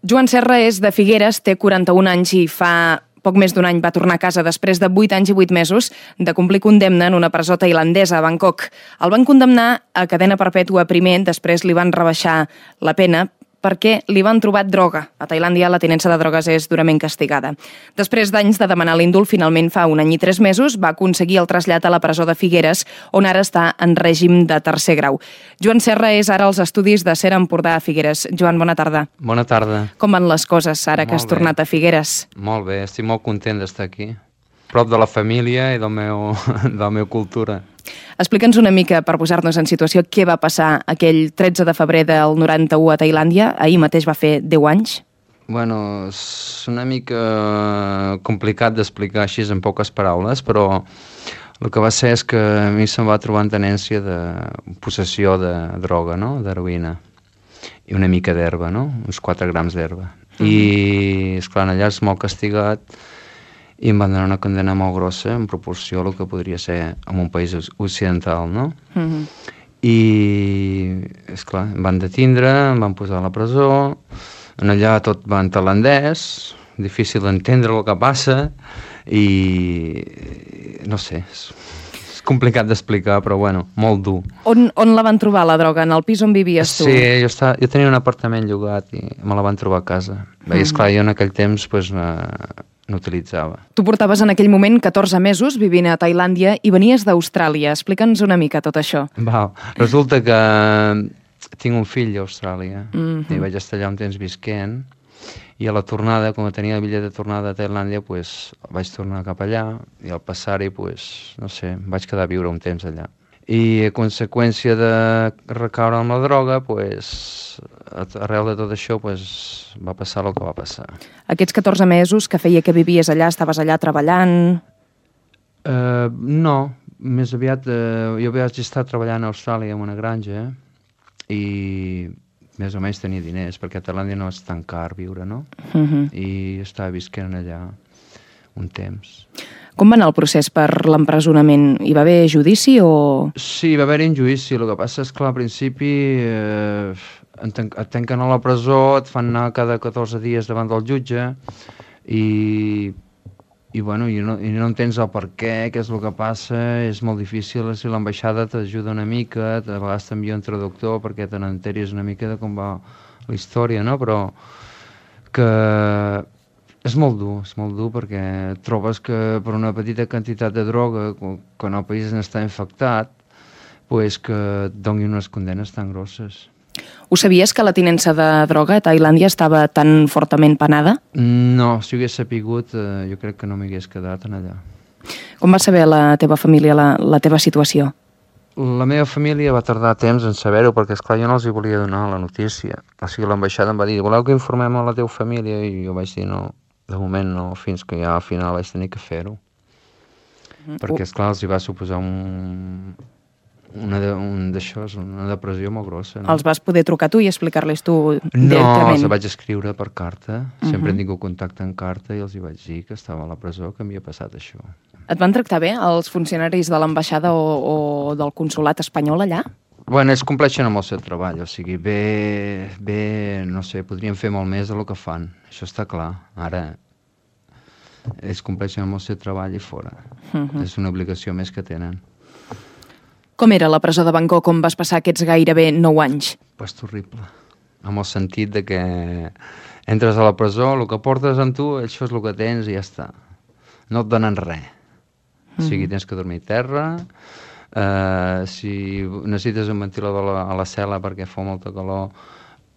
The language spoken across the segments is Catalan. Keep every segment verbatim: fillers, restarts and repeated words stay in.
Joan Serra és de Figueres, té quaranta-un anys i fa poc més d'un any va tornar a casa després de vuit anys i vuit mesos de complir condemna en una presó tailandesa a Bangkok. El van condemnar a cadena perpètua primer, després li van rebaixar la pena perquè li van trobar droga. A Tailàndia la tinença de drogues és durament castigada. Després d'anys de demanar l'indult, finalment fa un any i tres mesos va aconseguir el trasllat a la presó de Figueres, on ara està en règim de tercer grau. Joan Serra és ara als estudis de Ser Empordà a Figueres. Joan, bona tarda. Bona tarda. Com van les coses ara que has tornat a Figueres? Molt bé, estic molt content d'estar aquí. Prop de la família i del meu, de la meva cultura. Explica'ns una mica, per posar-nos en situació, què va passar aquell tretze de febrer del noranta-u a Tailàndia. Ahir mateix va fer deu anys. Bueno, és una mica complicat d'explicar així en poques paraules, però el que va ser és que a mi se'm va trobar en tenència de possessió de droga, no?, d'heroïna, i una mica d'herba, no?, uns quatre grams d'herba. Mm-hmm. I, esclar, allà és molt castigat, i em van donar una condemna molt grossa en proporció al que podria ser en un país occidental, no? Mm-hmm. I, esclar, em van detindre, em van posar a la presó, en allà tot va en tailandès, difícil d'entendre el que passa, i no sé, és, és complicat d'explicar, però bueno, molt dur. On, on la van trobar, la droga? En el pis on vivies tu? Sí, jo, estava, jo tenia un apartament llogat i me la van trobar a casa. Mm-hmm. I, esclar, jo en aquell temps, pues, eh, n'utilitzava. Tu portaves en aquell moment catorze mesos vivint a Tailàndia i venies d'Austràlia. Explica'ns una mica tot això. Val. Resulta que tinc un fill a Austràlia, mm-hmm. i vaig estar allà un temps visquent, i a la tornada, com tenia el bitllet de tornada a Tailàndia, pues, vaig tornar cap allà, i al passar-hi, pues, no sé, vaig quedar a viure un temps allà. I a conseqüència de recaure amb la droga, pues, arrel de tot això, pues, va passar el que va passar. Aquests catorze mesos que feia que vivies allà, estaves allà treballant? Uh, no, més aviat uh, jo vaig estar treballant a Austràlia en una granja i més o menys tenia diners, perquè a Tailàndia no és tan car viure, no? Uh-huh. I estava visquent allà un temps. Com va anar el procés per l'empresonament? Hi va haver judici o...? Sí, va haver-hi un judici. El que passa és que al principi eh, et tanquen a la presó, et fan anar cada catorze dies davant del jutge i, i, bueno, i, no, i no entens el per què, què és el que passa, és molt difícil. Si l'ambaixada t'ajuda una mica, a vegades t'envia un traductor perquè te n'enteris una mica de com va la història, no? Però que... és molt dur, és molt dur perquè trobes que per una petita quantitat de droga, quan el país n'està infectat, pues que et donin unes condenes tan grosses. Ho sabies que la tinença de droga a Tailàndia estava tan fortament penada? No, si ho hagués sapigut, eh, jo crec que no m'hagués quedat en allà. Com va saber la teva família la, la teva situació? La meva família va tardar temps en saber-ho perquè, esclar, jo no els hi volia donar la notícia. O sigui, l'ambaixada em va dir, voleu que informem a la teva família? I jo vaig dir, no, de moment no, fins que ja al final vaig tenir que fer-ho. Mm. Perquè, esclar, els hi va suposar un, una, de, un d'això, una depressió molt grossa. No? Els vas poder trucar tu i explicar-les tu no, directament? No, els vaig escriure per carta. Uh-huh. Sempre he tingut contacte en carta i els hi vaig dir que estava a la presó, que m'havia passat això. Et van tractar bé els funcionaris de l'ambaixada o, o del consolat espanyol allà? Bueno, ells compleixen amb el seu treball, o sigui, bé, bé, no sé, podrien fer molt més del que fan, això està clar. Ara, ells compleixen amb el seu treball i fora. Uh-huh. És una obligació més que tenen. Com era la presó de Bangkok on vas passar aquests gairebé nou anys? Pues terrible, amb el sentit de que entres a la presó, el que portes amb tu, això és el que tens i ja està. No et donen res. Uh-huh. O sigui, tens que dormir a terra... Uh, si necessites un ventilador a la, a la cel·la perquè fa molta calor,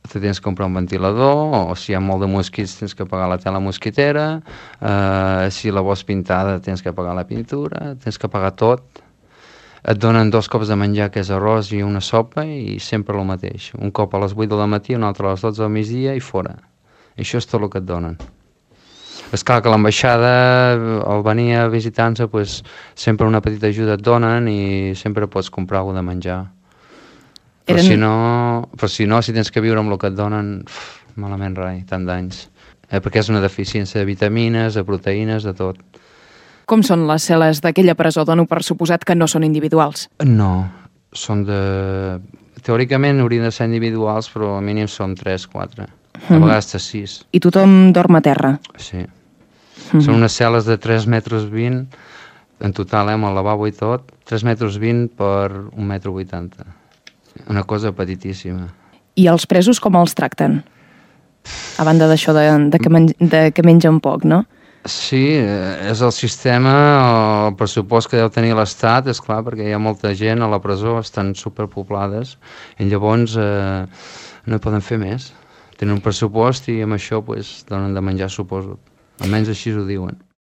te tens que comprar un ventilador, o si hi ha molt de mosquits tens que pagar la tela mosquitera, uh, si la vols pintada tens que pagar la pintura, tens que pagar tot. Et donen dos cops de menjar, que és arròs i una sopa, i sempre el mateix. Un cop a les vuit del matí, un altre a les dotze del migdia i fora. Això és tot el que et donen. És clar que l'ambaixada, al venir a visitar-nos, pues, sempre una petita ajuda et donen i sempre pots comprar alguna de menjar. Però, Eren... si no, però si no, si tens que viure amb el que et donen, uf, malament rai, tant d'anys. Eh, perquè és una deficiència de vitamines, de proteïnes, de tot. Com són les cel·les d'aquella presó? Dono per suposat que no són individuals. No, són de... Teòricament haurien de ser individuals, però al mínim són tres, quatre. a vegades de sis. I tothom dorm a terra? Sí. Són unes cel·les de tres metres vint, en total, eh, amb el lavabo i tot, tres metres vint per un metre vuitanta. Una cosa petitíssima. I els presos com els tracten? A banda d'això de, de, que men de que mengen poc, no? Sí, és el sistema, el pressupost que deu tenir l'Estat, és clar, perquè hi ha molta gent a la presó, estan superpoblades, i llavors eh, no hi poden fer més. Tenen un pressupost i amb això pues, donen de menjar, suposo. Almenys així ho diuen.